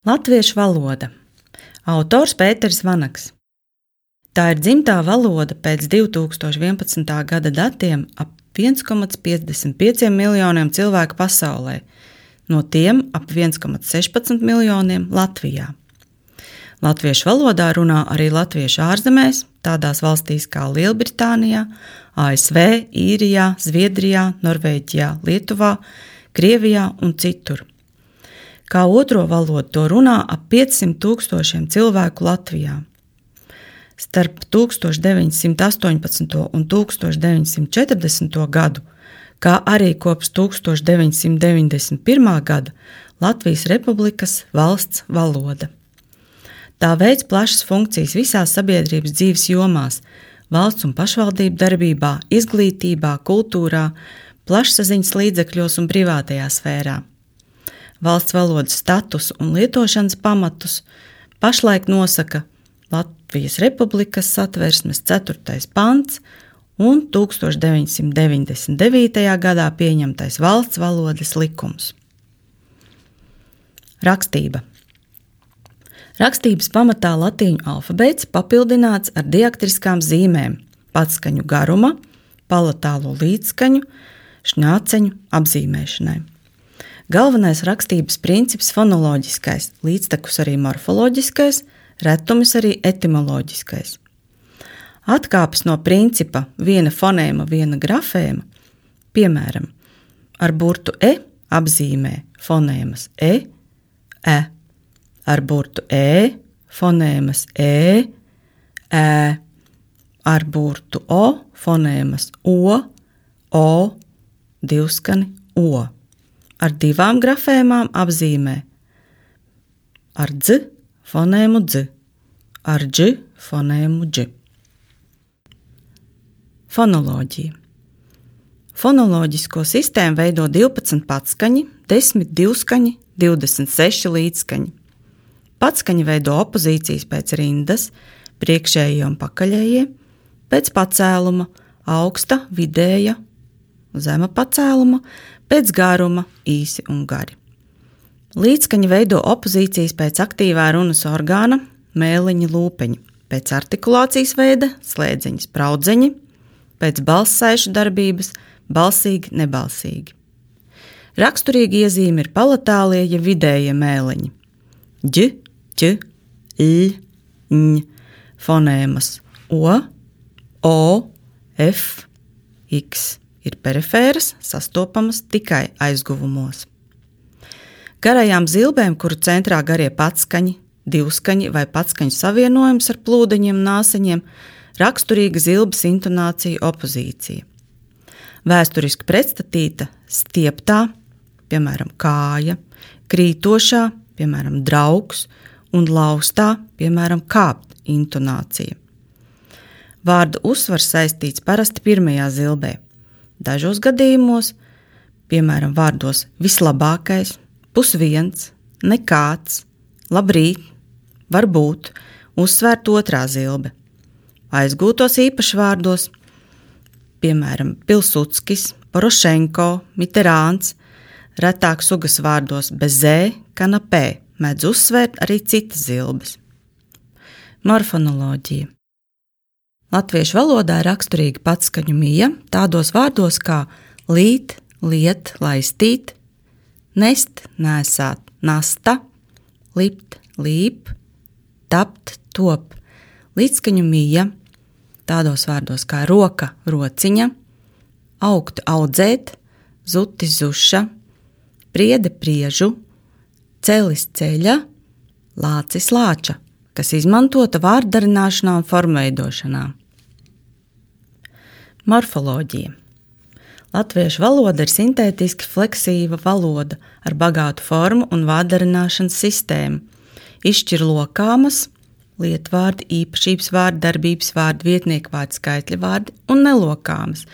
Latviešu valoda. Autors Pēters Vanaks. Tā ir dzimtā valoda pēc 2011. gada datiem ap 1,55 miljoniem cilvēku pasaulē, no tiem ap 1,16 miljoniem Latvijā. Latviešu valodā runā arī latviešu ārzemēs, tādās valstīs kā Lielbritānijā, ASV, Īrijā, Zviedrijā, Norvēģijā, Lietuvā, Krievijā un citur. Kā otro valodu to runā ap 500 000 cilvēku Latvijā. Starp 1918. un 1940. gadu, kā arī kopš 1991. gada Latvijas Republikas valsts valoda. Tā veic plašas funkcijas visās sabiedrības dzīves jomās, valsts un pašvaldību darbībā, izglītībā, kultūrā, plašsaziņas līdzekļos un privātajā sfērā. Valsts valodas status un lietošanas pamatus pašlaik nosaka Latvijas Republikas Satversmes 4. pants un 1999. gadā pieņemtais valsts valodas likums. Rakstība. Rakstības pamatā latīņu alfabēts papildināts ar diaktriskām zīmēm, patskaņu garuma, palatālo līdzskaņu, šņāceņu apzīmēšanai. Galvenais rakstības princips fonoloģiskais, līdztekus arī morfoloģiskais, retumis arī etimoloģiskais. Atkāpes no principa viena fonēma, viena grafēma, piemēram, ar burtu e apzīmē fonēmas e, ar burtu e, fonēmas e, ar burtu o, fonēmas o, divskani o. Ar divām grafēmām apzīmē ar dz fonēmu dz, ar dž fonēmu dž. Fonoloģija. Fonoloģisko sistēmu veido 12 patskaņi, 10 divskaņi, 26 līdzskaņi. Patskaņi veido opozīcijas pēc rindas, priekšējie un pakaļējie, pēc pacēluma, augsta, vidēja, zema pacēluma, pēc garuma, īsi un gari. Līdzskaņi veido opozīcijas pēc aktīvā runas orgāna, mēliņa lūpeņa, pēc artikulācijas veida, slēdzeņa spraudzeņi, pēc balssaišu darbības, balsīgi, nebalsīgi. Raksturīgi iezīme ir palatālie, ja vidējie mēliņi. Ģ, ķ, l, ņ, fonēmas o, f, x. Ir perifēras, sastopamas tikai aizguvumos. Garajām zilbēm, kuru centrā garie patskaņi, divskaņi vai patskaņu savienojums ar plūdeņiem nāseņiem, raksturīga zilbes intonācija opozīcija. Vēsturiski pretstatīta stieptā, piemēram, kāja, krītošā, piemēram, draugs, un laustā, piemēram, kāpt intonācija. Vārda uzsvars saistīts parasti pirmajā zilbē. Dažos gadījumos, piemēram, vārdos vislabākais, pusviens, nekāds, labrīt, varbūt, uzsvērt otrā zilbe. Aizgūtos īpašvārdos, piemēram, Pilsudskis, Porošenko, Mitterāns, retāk sugas vārdos bez zē, kanapē, mēdz uzsvērt arī citas zilbes. Morfonoloģija. Latviešu valodā ir raksturīga patskaņu mija tādos vārdos kā līt, liet, laistīt, nest, nēsāt, nasta, lipt, līp, tapt, top. Līdzskaņu mija tādos vārdos kā roka, rociņa, augt, audzēt, zutis, zuša, priede, priežu, celis, ceļa, lācis, lāča, kas izmantota vārddarināšanā un formveidošanā. Morfoloģija. Latviešu valoda ir sintētiski fleksīva valoda ar bagātu formu un vārddarināšanas sistēmu. Izšķir lokāmas, lietvārdi, īpašības vārdi, darbības vārdi, vietnieku vārdi, skaitļa vārdi un nelokāmas,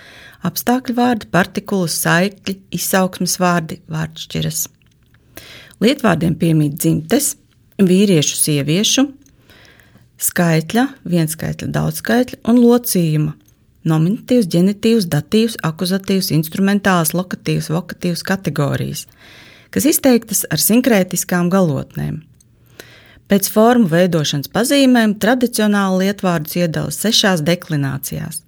apstākļu vārdi, partikulas, saikļi, izsauksmes vārdi, vārdšķiras. Lietvārdiem piemīt dzimtes, vīriešu, sieviešu, skaitļa, vienskaitļa, daudzskaitļa un locījuma, nominatīvs, ģenitīvs, datīvs, akuzatīvs, instrumentāls, lokatīvs, vokatīvs kategorijas, kas izteiktas ar sinkrētiskām galotnēm. Pēc formu veidošanas pazīmēm tradicionāli lietvārdus iedala 6 deklinācijās.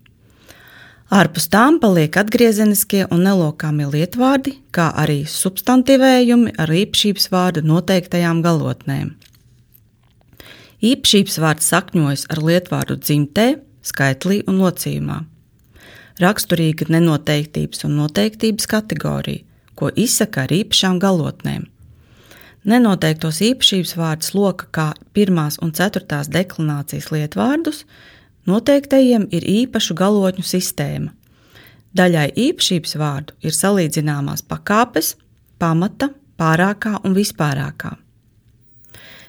Ārpus tām paliek atgriezeniskie un nelokāmie lietvārdi, kā arī substantivējumi ar īpašības vārdu noteiktajām galotnēm. Īpašības vārds sakņojas ar lietvārdu dzimtē, skaitlī un locījumā. Raksturīga nenoteiktības un noteiktības kategorija, ko izsaka ar īpašām galotnēm. Nenoteiktos īpašības vārdus loka kā 1. un 4. deklinācijas lietvārdus, noteiktajiem ir īpašu galotņu sistēma. Daļai īpašības vārdu ir salīdzināmās pakāpes, pamata, pārākā un vispārākā.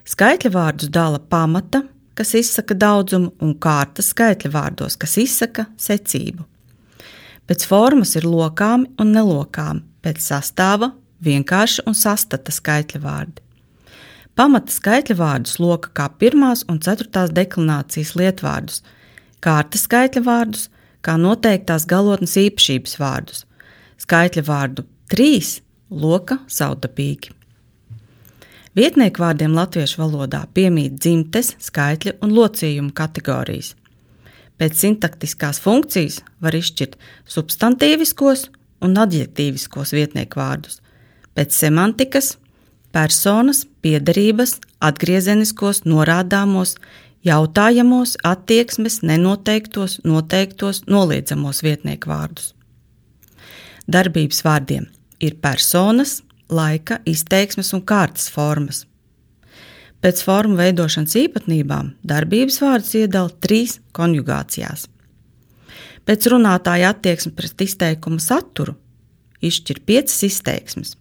Skaitļa vārdus dala pamata, kas izsaka daudzumu, un kārtas skaitļa vārdos, kas izsaka secību. Pēc formas ir lokāmi un nelokāmi, pēc sastāva vienkārši un sastata skaitļa vārdi. Pamata skaitļa vārdus loka kā 1. un 4. deklinācijas lietvārdus, kārtas skaitļa vārdus kā noteiktās galotnes īpašības vārdus, skaitļa vārdu 3 loka savdabīgi. Vietnieku vārdiem latviešu valodā piemīt dzimtes, skaitļa un locījumu kategorijas. Pēc sintaktiskās funkcijas var izšķirt substantīviskos un adjektīviskos vietnieku vārdus, pēc semantikas, personas, piederības, atgriezeniskos, norādāmos, jautājamos, attieksmes, nenoteiktos, noteiktos, noliedzamos vietnieku vārdus. Darbības vārdiem ir personas, laika, izteiksmes un kārtas formas. Pēc formu veidošanas īpatnībām darbības vārdus iedala 3 konjugācijās. Pēc runātāja attieksme pret izteikuma saturu izšķir 5 izteiksmes.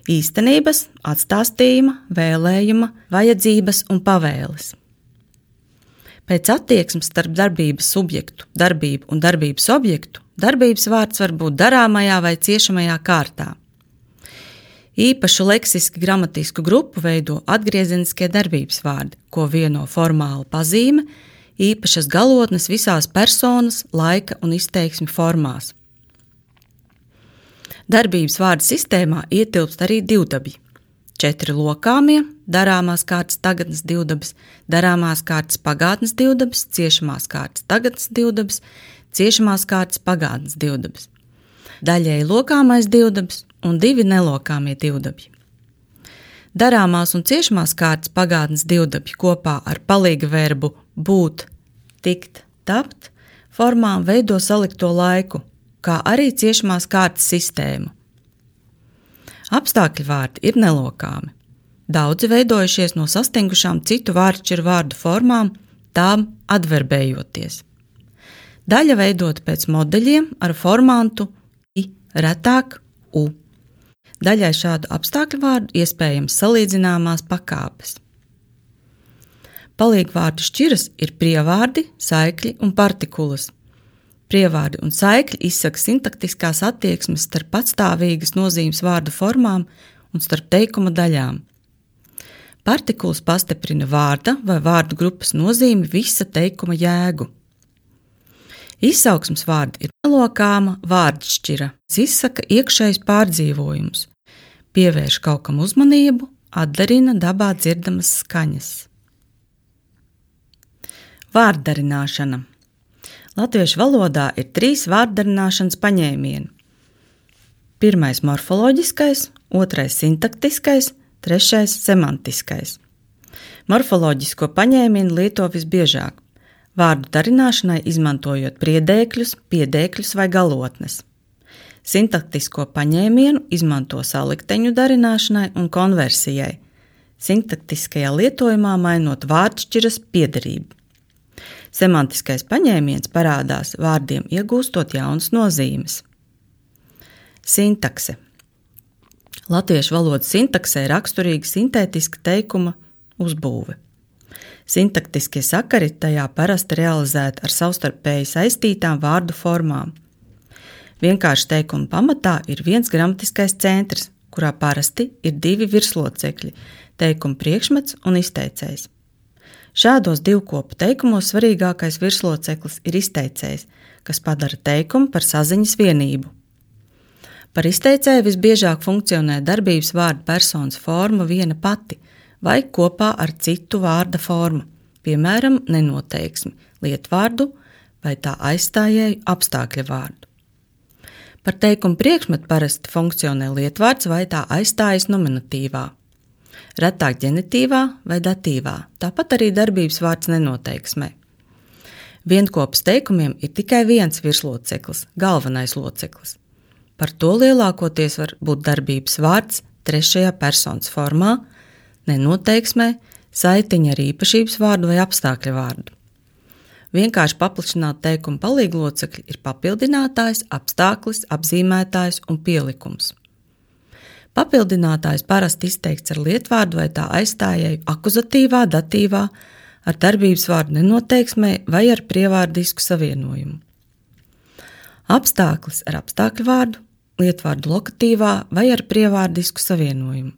Īstenības, atstāstījuma, vēlējuma, vajadzības un pavēles. Pēc attieksmes starp darbības subjektu, darbību un darbības objektu darbības vārds var būt darāmajā vai ciešamajā kārtā. Īpašu leksiski gramatisku grupu veido atgriezeniskie darbības vārdi, ko vieno formāla pazīme, īpašas galotnes visās personas, laika un izteiksmi formās. Darbības vārdu sistēmā ietilpst arī divdabji. 4 lokāmie, darāmās kārtas tagadnes divdabis, darāmās kārtas pagātnes divdabis, ciešamās kārtas tagadnes divdabis, ciešamās kārtas pagātnes divdabis. Daļēji lokāmais divdabis un 2 nelokāmie divdabji. Darāmās un ciešamās kārtas pagātnes divdabji kopā ar palīga verbu būt, tikt, tapt formām veido salikto laiku, kā arī ciešamās kārtas sistēmu. Apstākļu vārdi ir nelokāmi. Daudzi veidojušies no sastingušām citu vārdšķiru vārdu formām, tām adverbējoties. Daļa veidota pēc modeļiem ar formantu i, retāk u. Daļai šādu apstākļu vārdu iespējams salīdzināmās pakāpes. Palīgvārdu šķiras ir prievārdi, saikļi un partikulas. Prievārdi un saikļi izsaka sintaktiskās attieksmes starp patstāvīgas nozīmes vārdu formām un starp teikuma daļām. Partikulas pastiprina vārda vai vārdu grupas nozīmi visa teikuma jēgu. Izsauksmes vārdi ir nelokāma vārdšķira, izsaka iekšējs pārdzīvojums, pievērš kaut kam uzmanību, atdarina dabā dzirdamas skaņas. Vārddarināšana. Latviešu valodā ir 3 vārddarināšanas paņēmieni. 1. morfoloģiskais, 2. sintaktiskais, 3. semantiskais. Morfoloģisko paņēmienu lieto visbiežāk, vārdu darināšanai izmantojot priedēkļus, piedēkļus vai galotnes. Sintaktisko paņēmienu izmanto salikteņu darināšanai un konversijai, sintaktiskajā lietojumā mainot vārdšķiras piederību. Semantiskais paņēmiens parādās vārdiem iegūstot jaunas nozīmes. Sintakse. Latviešu valodas sintaksē raksturīga sintētiska teikuma uzbūve. Sintaktiskie sakari tajā parasti realizēti ar savstarpēji saistītām vārdu formām. Vienkārši teikuma pamatā ir viens gramatiskais centrs, kurā parasti ir 2 virslocekļi – teikuma priekšmets un izteicējs. Šādos divkopu teikumos svarīgākais virsloceklis ir izteicējs, kas padara teikumu par saziņas vienību. Par izteicēju visbiežāk funkcionē darbības vārdu personas forma viena pati vai kopā ar citu vārda formu, piemēram, nenoteiksmi, lietvārdu vai tā aizstājēju apstākļa vārdu. Par teikumu priekšmetu parasti funkcionē lietvārds vai tā aizstājas nominatīvā, retāk ģenitīvā vai datīvā, tāpat arī darbības vārds nenoteiksmē. Vienkopes teikumiem ir tikai viens virsloceklis, galvenais loceklis. Par to lielākoties var būt darbības vārds trešajā personas formā, nenoteiksmē, saitiņa ar īpašības vārdu vai apstākļa vārdu. Vienkārši paplašināt teikumu palīglocekļi ir papildinātājs, apstāklis, apzīmētājs un pielikums. Papildinātājs parasti izteikts ar lietvārdu vai tā aizstājēju akuzatīvā, datīvā, ar darbības vārdu nenoteiksmē vai ar prievārdisku savienojumu. Apstāklis ar apstākļu vārdu, lietvārdu lokatīvā vai ar prievārdisku savienojumu.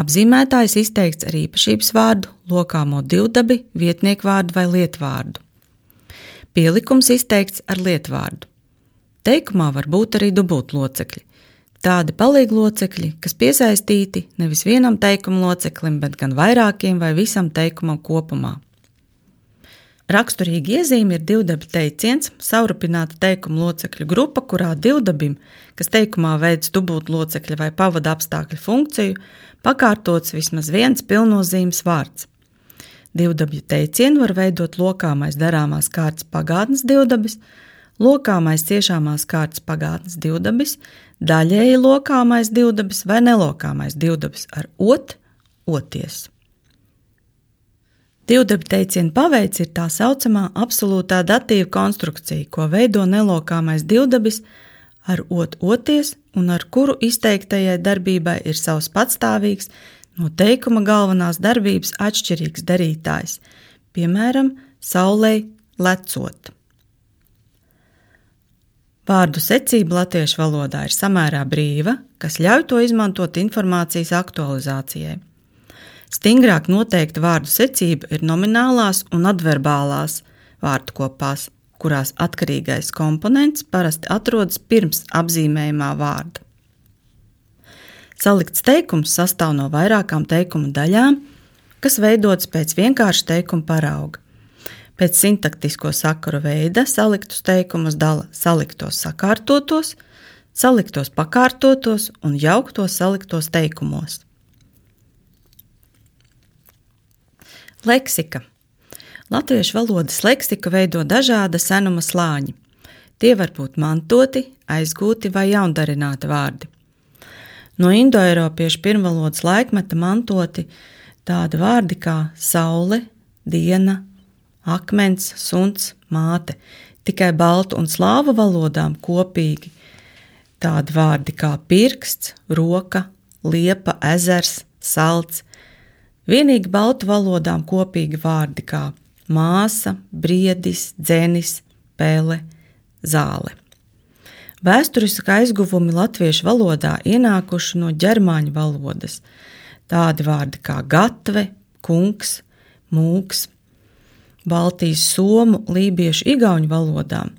Apzīmētājs izteikts ar īpašības vārdu, lokāmo divdabi, vietniekvārdu vai lietvārdu. Pielikums izteikts ar lietvārdu. Teikumā var būt arī dubultlocekļi. Tādi palīglocekļi, kas piesaistīti nevis vienam teikuma loceklim, bet gan vairākiem vai visam teikumam kopumā. Raksturīgi iezīme ir divdabi teiciens, savrupināta teikuma locekļu grupa, kurā divdabim, kas teikumā veic dubultlocekļa vai pavada apstākļu funkciju, pakārtots vismaz viens pilnnozīmes vārds. Divdabju teicienu var veidot lokāmais darāmās kārtas pagātnes divdabis, lokāmais ciešāmās kārtas pagātnes divdabis, daļēji lokāmais divdabis vai nelokāmais divdabis ar oties. Divdabi teicienu paveids ir tā saucamā absolūtā datīva konstrukcija, ko veido nelokāmais divdabis ar oties un ar kuru izteiktajai darbībai ir savs patstāvīgs, no teikuma galvenās darbības atšķirīgs darītājs, piemēram, saulei lecot. Vārdu secība latviešu valodā ir samērā brīva, kas ļauj to izmantot informācijas aktualizācijai. Stingrāk noteikta vārdu secība ir nominālās un adverbālās vārdkopās, kurās atkarīgais komponents parasti atrodas pirms apzīmējumā vārda. Salikts teikums sastāv no vairākām teikuma daļām, kas veidotas pēc vienkārša teikuma parauga. Pēc sintaktisko sakaru veida saliktus teikumus dala saliktos sakārtotos, saliktos pakārtotos un jauktos saliktos teikumos. Leksika. Latviešu valodas leksiku veido dažāda senuma slāņi. Tie var būt mantoti, aizgūti vai jaundarināti vārdi. No indoeiropiešu pirmvalodas laikmeta mantoti tādi vārdi kā saule, diena, akmens, suns, māte, tikai baltu un slāvu valodām kopīgi tādi vārdi kā pirksts, roka, liepa, ezers, salts, vienīgi baltu valodām kopīgi vārdi kā māsa, briedis, dzenis, pele, zāle. Vēsturiski aizguvumi latviešu valodā ienākuši no ģermāņu valodas, tādi vārdi kā gatve, kungs, mūks, Baltijas somu, lībiešu, igauņu valodām,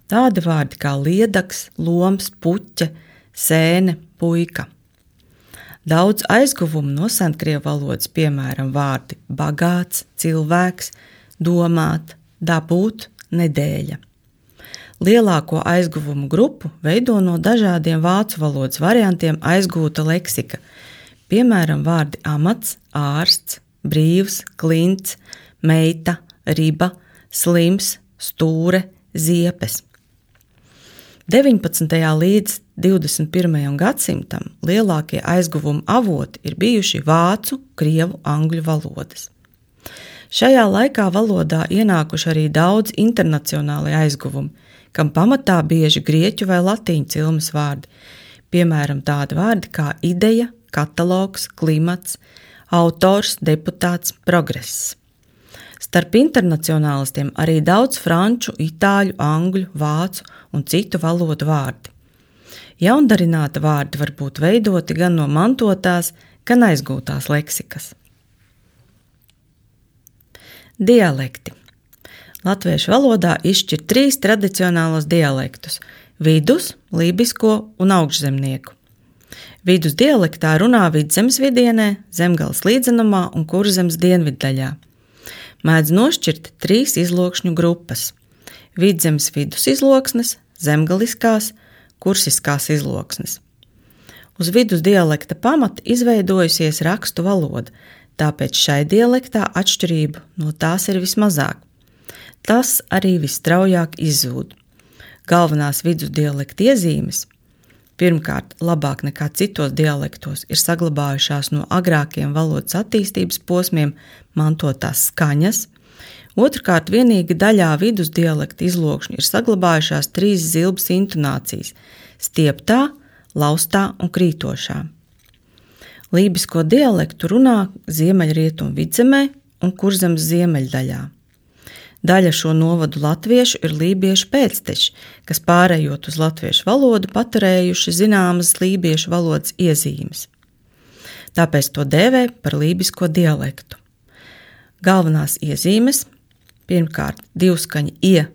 tādi vārdi kā liedaks, loms, puķe, sēne, puika. Daudz aizguvumu no senkrievu valodas, piemēram, vārdi bagāts, cilvēks, domāt, dabūt, nedēļa. Lielāko aizguvumu grupu veido no dažādiem vācu valodas variantiem aizgūta leksika, piemēram, vārdi amats, ārsts, brīvs, klints, meita, riba, slims, stūre, ziepes. 19. līdz 21. gadsimtam lielākie aizguvumu avoti ir bijuši vācu, krievu, angļu valodas. Šajā laikā valodā ienākuši arī daudz internacionāli aizguvumi, kam pamatā bieži grieķu vai latīņu cilmes vārdi, piemēram, tādi vārdi kā ideja, katalogs, klimats, autors, deputāts, progress. Starp internacionālistiem arī daudz franču, itāļu, angļu, vācu un citu valodu vārdi. Jaundarināta vārdi var būt veidoti gan no mantotās, gan aizgūtās leksikas. Dialekti. Latviešu valodā izšķir 3 tradicionālos dialektus – vidus, lībisko un augšzemnieku. Vidus dialektā runā Vidzemes vidienē, Zemgales līdzenumā un Kurzemes dienviddaļā. Mēdz nošķirt 3 izlokšņu grupas – Vidzemes vidus izloksnes, zemgaliskās, kursiskās izloksnes. Uz vidus dialekta pamata izveidojusies rakstu valoda, tāpēc šai dialektā atšķirību no tās ir vismazāk. Tas arī visstraujāk izzūd. Galvenās vidus dialekta iezīmes pirmkārt, labāk nekā citos dialektos ir saglabājušās no agrākiem valodas attīstības posmiem mantotās skaņas. Otrkārt, vienīgi daļā vidus dialekta izlokšņu ir saglabājušās 3 zilbes intonācijas – stieptā, laustā un krītošā. Lībisko dialektu runā Ziemeļrietumu Vidzemē un Kurzemes ziemeļdaļā. Daļa šo novadu latviešu ir lībiešu pēcteči, kas pārējot uz latviešu valodu paturējuši zināmas lībiešu valodas iezīmes. Tāpēc to dēvē par lībisko dialektu. Galvenās iezīmes pirmkārt, divskaņi ie,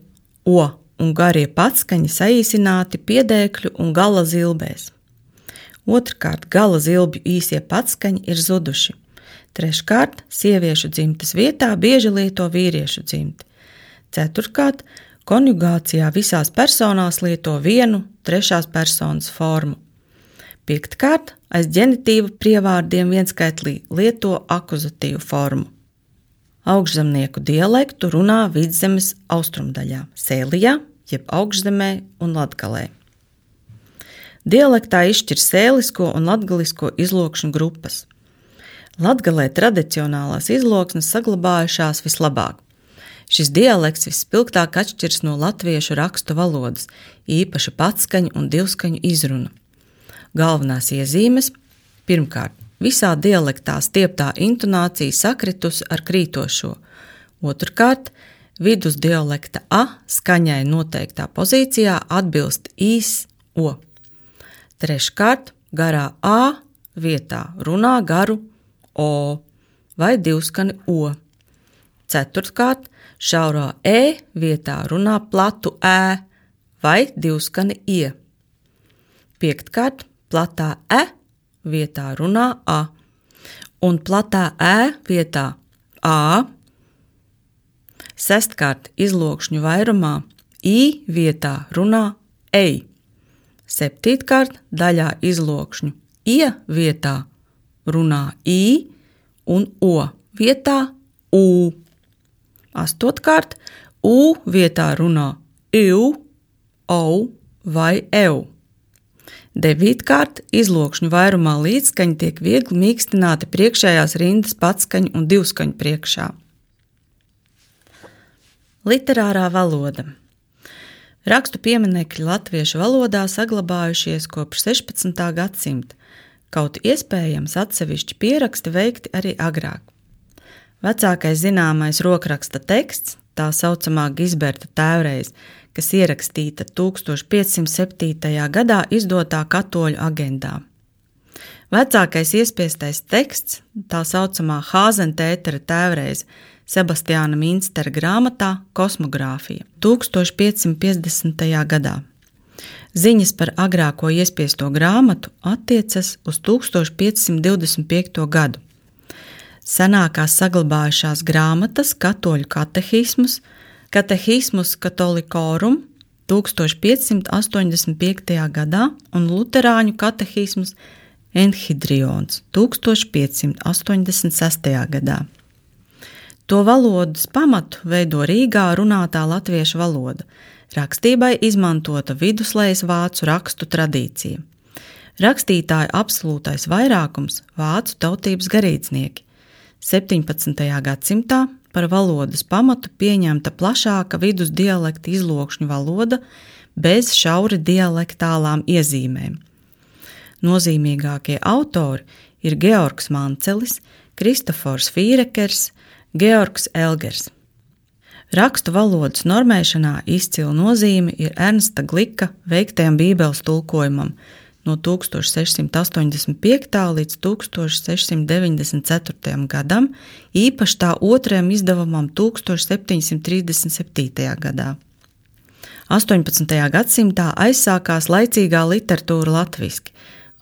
o un garie patskaņi saīsināti piedēkļu un gala zilbēs. Otrkārt, gala zilbju īsie patskaņi ir zuduši. Treškārt, sieviešu dzimtes vietā bieži lieto vīriešu dzimti. Ceturtkārt, konjugācijā visās personās lieto vienu trešās personas formu. Piektkārt, aiz ģenitīva prievārdiem vienskaitlī lieto akuzatīvu formu. Augšzemnieku dialektu runā Vidzemes austrumdaļā, Sēlijā, jeb Augšzemē un Latgalē. Dialektā izšķir sēlisko un latgalisko izlokšņu grupas. Latgalē tradicionālās izloksnes saglabājušās vislabāk. Šis dialekts vispilgtāk atšķirs no latviešu rakstu valodas, īpaši patskaņu un divskaņu izrunu. Galvenās iezīmes pirmkārt, visā dialektā stieptā intonācija sakritusi ar krītošo. Otrkārt, vidus dialekta a skaņai noteiktā pozīcijā atbilst īs o. Treškārt, garā a vietā runā garu o vai divskani o. Ceturtkārt, šaurā e vietā runā platu ē vai divskani ie. Piektkārt, platā e vietā runā a un platā ē vietā a. Sestkārt, izlokšņu vairumā i vietā runā ei. Septītkārt, daļā izlokšņu ie vietā runā i un o vietā u. Astotkārt, u vietā runā iu, au vai eu. Devītkārt, izlokšņu vairumā līdzskaņi tiek viegli mīkstināti priekšējās rindas patskaņu un divskaņu priekšā. Literārā valoda. Rakstu pieminekļi latviešu valodā saglabājušies kopš 16. gadsimta, kaut iespējams atsevišķi pieraksti veikti arī agrāk. Vecākais zināmais rokraksta teksts, tā saucamā Gisberta tēvreize, kas ierakstīta 1507. gadā izdotā katoļu agendā. Vecākais iespiestais teksts, tā saucamā Hāzentētera tēvreize, Sebastiāna Minstera grāmatā Kosmogrāfija 1550. gadā. Ziņas par agrāko iespiesto grāmatu attiecas uz 1525. gadu. Senākās saglabājušās grāmatas katoļu katehismus, Katehismus Katolikorum 1585. gadā un luterāņu katehismus Enhidrions 1586. gadā. To valodas pamatu veido Rīgā runātā latviešu valoda, rakstībai izmantota viduslejas vācu rakstu tradīcija. Rakstītāju absolūtais vairākums vācu tautības garīdznieki. 17. gadsimtā par valodas pamatu pieņemta plašāka vidus dialekta izlokšņu valoda bez šauri dialektālām iezīmēm. Nozīmīgākie autori ir Georgs Mancelis, Kristofors Fīrekers, Georgs Elgers. Rakstu valodas normēšanā izcila nozīme ir Ernsta Glika veiktajam bībeles tulkojumam no 1685. līdz 1694. gadam, īpaši tā otrajam izdevumam 1737. gadā. 18. gadsimtā aizsākās laicīgā literatūra latviski,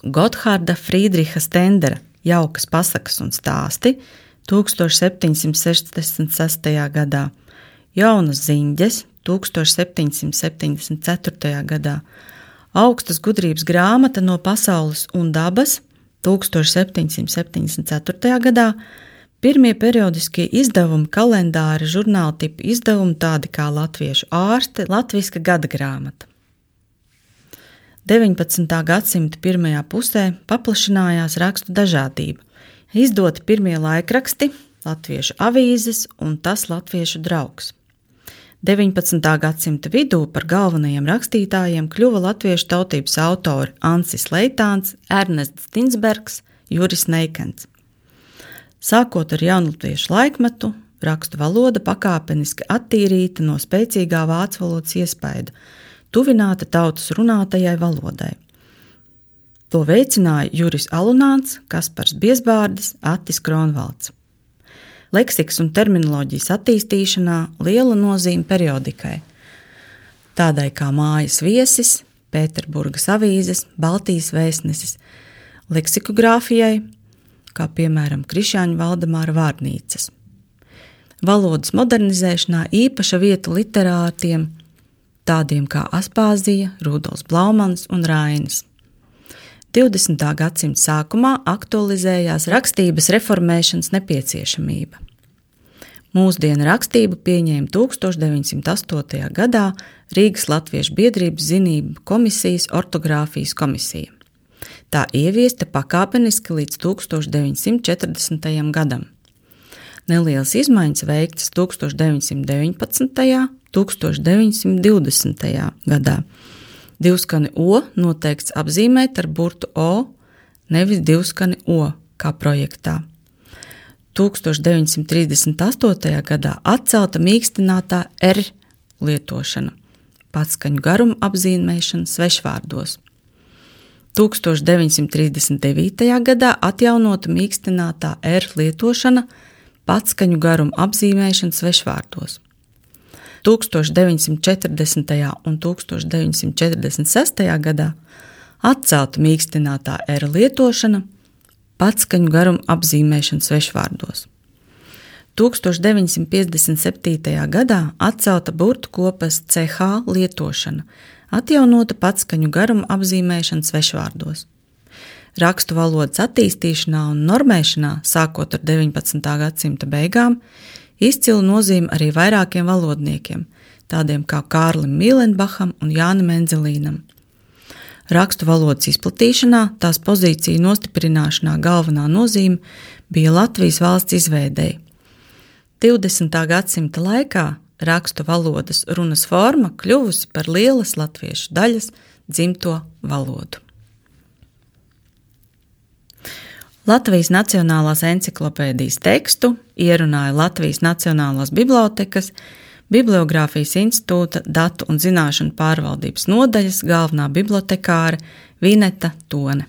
Gotthārda Friedriha Stendera Jaukas pasakas un stāsti 1766. gadā, Jaunas ziņģes 1774. gadā, Augstas gudrības grāmata no pasaules un dabas 1774. gadā, pirmie periodiskie izdevumi, kalendāri, žurnāla tipa izdevumi, tādi kā Latviešu ārste, latviska gada grāmata. 19. gadsimta pirmajā pusē paplašinājās rakstu dažādība. Izdoti pirmie laikraksti, Latviešu avīzes un tas Latviešu draugs. 19. gadsimta vidū par galvenajiem rakstītājiem kļuva latviešu tautības autori Ancis Leitāns, Ernests Tinsbergs, Juris Neikens. Sākot ar jaunatviešu laikmetu, rakstu valoda pakāpeniski attīrīta no spēcīgā vācu valodas iespaida, tuvināta tautas runātajai valodai. To veicināja Juris Alunāns, Kaspars Biezbārdis, Attis Kronvalds. Leksikas un terminoloģijas attīstīšanā liela nozīme periodikai, tādai kā Mājas viesis, Pēterburgas avīzes, Baltijas vēstnesis, leksikogrāfijai, kā piemēram Krišjāņa Valdemāra vārnīcas. Valodas modernizēšanā īpaša vieta literātiem, tādiem kā Aspāzija, Rudolfs Blaumans un Rainis. 20. gadsimta sākumā aktualizējās rakstības reformēšanas nepieciešamība. Mūsdienu rakstību pieņēma 1908. gadā Rīgas Latviešu biedrības zinību komisijas ortogrāfijas komisija. Tā ieviesta pakāpeniski līdz 1940. gadam. Nelielas izmaiņas veiktas 1919. 1920. gadā. Divskani O noteikts apzīmēt ar burtu O, nevis divskani O, kā projektā. 1938. gadā atcelta mīkstinātā R lietošana, patskaņu garuma apzīmēšana svešvārdos. 1939. gadā atjaunota mīkstinātā R lietošana, patskaņu garuma apzīmēšana svešvārdos. 1940. un 1946. gadā atcelta mīkstinātā R lietošana, patskaņu garuma apzīmēšana svešvārdos. 1957. gadā atcelta burtu kopas CH lietošana, atjaunota patskaņu garuma apzīmēšana svešvārdos. Rakstu valodas attīstīšanā un normēšanā, sākot ar 19. gadsimta beigām, izcilu nozīmi arī vairākiem valodniekiem, tādiem kā Kārlim Mīlenbacham un Jānim Enzelīnam. Rakstu valodas izplatīšanā, tās pozīciju nostiprināšanā galvenā nozīme bija Latvijas valsts izveidei. 20. gadsimta laikā rakstu valodas runas forma kļuvusi par lielas latviešu daļas dzimto valodu. Latvijas Nacionālās enciklopēdijas tekstu ierunāja Latvijas Nacionālās bibliotekas, Bibliogrāfijas institūta datu un zināšanu pārvaldības nodaļas galvenā bibliotekāre Vineta Tone.